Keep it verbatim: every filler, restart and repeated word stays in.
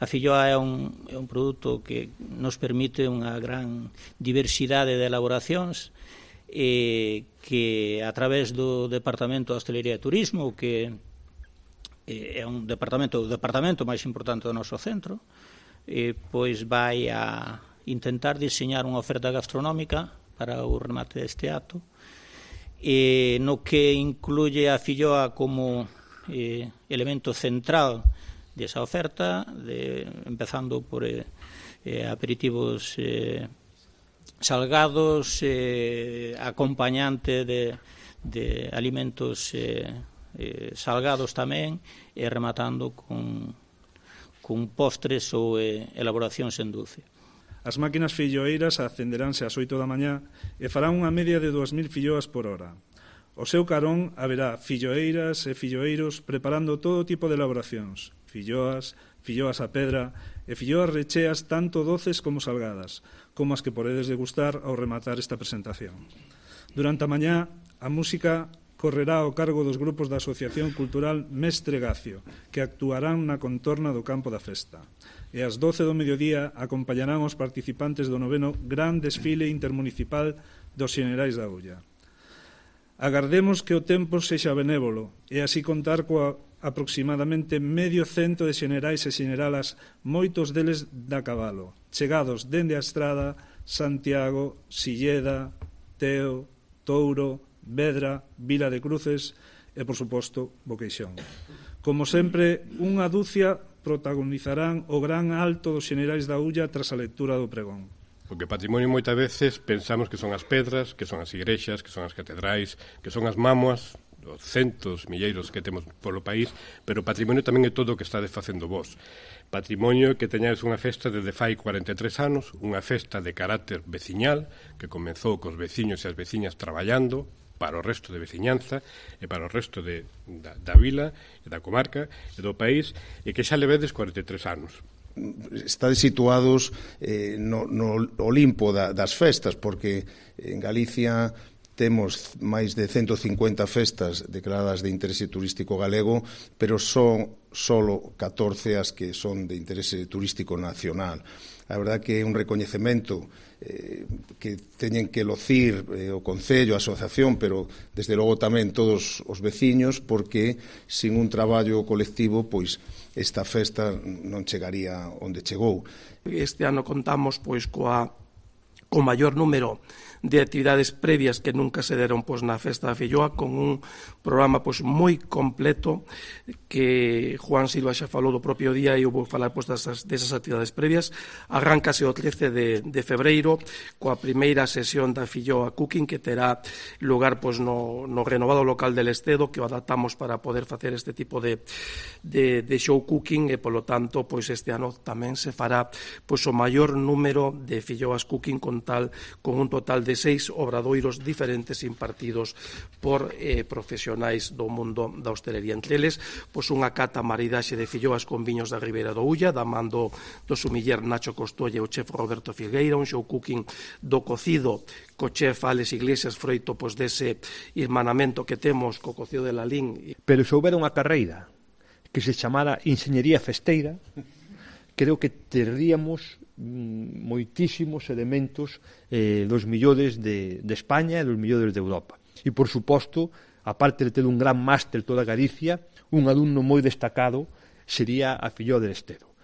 A filloa é un, é un produto que nos permite unha gran diversidade de elaboracións, eh, que a través do Departamento de Hostalería e Turismo, que eh, é un departamento, o departamento máis importante do noso centro, eh, pois vai a intentar diseñar unha oferta gastronómica para o remate deste acto, eh, no que incluye a filloa como eh, elemento central desa oferta, de, empezando por eh, eh, aperitivos eh, salgados, eh, acompañante de, de alimentos eh, eh, salgados tamén, e rematando con, con postres ou eh, elaboracións en dulce. As máquinas filloeiras acenderánse ás oito da mañá e farán unha media de dúas mil filloas por hora. O seu carón haberá filloeiras e filloeiros preparando todo tipo de elaboracións, filloas, filloas a pedra e filloas recheas tanto doces como salgadas, como as que podedes degustar ao rematar esta presentación. Durante a mañá, a música correrá ao cargo dos grupos da Asociación Cultural Mestre Gacio, que actuarán na contorna do campo da festa. E ás doce do mediodía acompañarán os participantes do noveno Gran Desfile Intermunicipal dos Xenerais da Ulla. Agardemos que o tempo sexa benévolo e así contar coa aproximadamente medio cento de xenerais e xeneralas, moitos deles da cabalo, chegados dende a Estrada, Santiago, Silleda, Teo, Touro, Vedra, Vila de Cruces e, por suposto, Boqueixón. Como sempre, unha dúcia protagonizarán o gran alto dos xenerais da Ulla tras a lectura do pregón. Porque patrimonio moitas veces pensamos que son as pedras, que son as igrexas, que son as catedrais, que son as mámoas, os centos, milleiros que temos polo país, pero patrimonio tamén é todo o que estades facendo vos. Patrimonio que teñades unha festa desde fai cuarenta e tres anos, unha festa de carácter veciñal, que comezou cos veciños e as veciñas traballando para o resto de veciñanza e para o resto de, da, da vila e da comarca e do país, e que xa levedes cuarenta e tres anos. Estades situados eh, no, no Olimpo da, das festas, porque en Galicia temos máis de ciento cincuenta festas declaradas de interese turístico galego, pero son solo catorce as que son de interese turístico nacional. A verdad que é un recoñecemento eh, que teñen que locir eh, o Concello, a Asociación, pero desde logo tamén todos os veciños, porque sin un traballo colectivo, pois esta festa non chegaría onde chegou. Este ano contamos pois coa co maior número de actividades previas que nunca se deron pois, na Festa da Filloa, con un programa pois, moi completo que Juan Silva xa falou do propio día e eu vou falar pois, desas, desas actividades previas. Arráncase o trece de, de febreiro coa primeira sesión da Filloa Cooking, que terá lugar pois, no, no renovado local del Estedo, que o adaptamos para poder facer este tipo de, de, de show cooking, e polo tanto pois, este ano tamén se fará pois, o maior número de Filloas Cooking, con, tal, con un total de seis obradoiros diferentes impartidos por eh, profesionais do mundo da hostelería. Entre eles, pois unha cata maridaxe de filloas con viños da Ribeira do Ulla, da man do, do sumiller Nacho Costolle e o chef Roberto Filgueira, un show cooking do cocido co chef Alex Iglesias, froito pois, dese irmanamento que temos co cocido de Lalín. Pero se houbera unha carreira que se chamara Enxeñería Festeira, creo que teríamos moitísimos elementos eh, dos millores de, de España e dos millores de Europa. E, por suposto, aparte de ter un gran máster toda Galicia, un alumno moi destacado sería a Filloa del Estedo.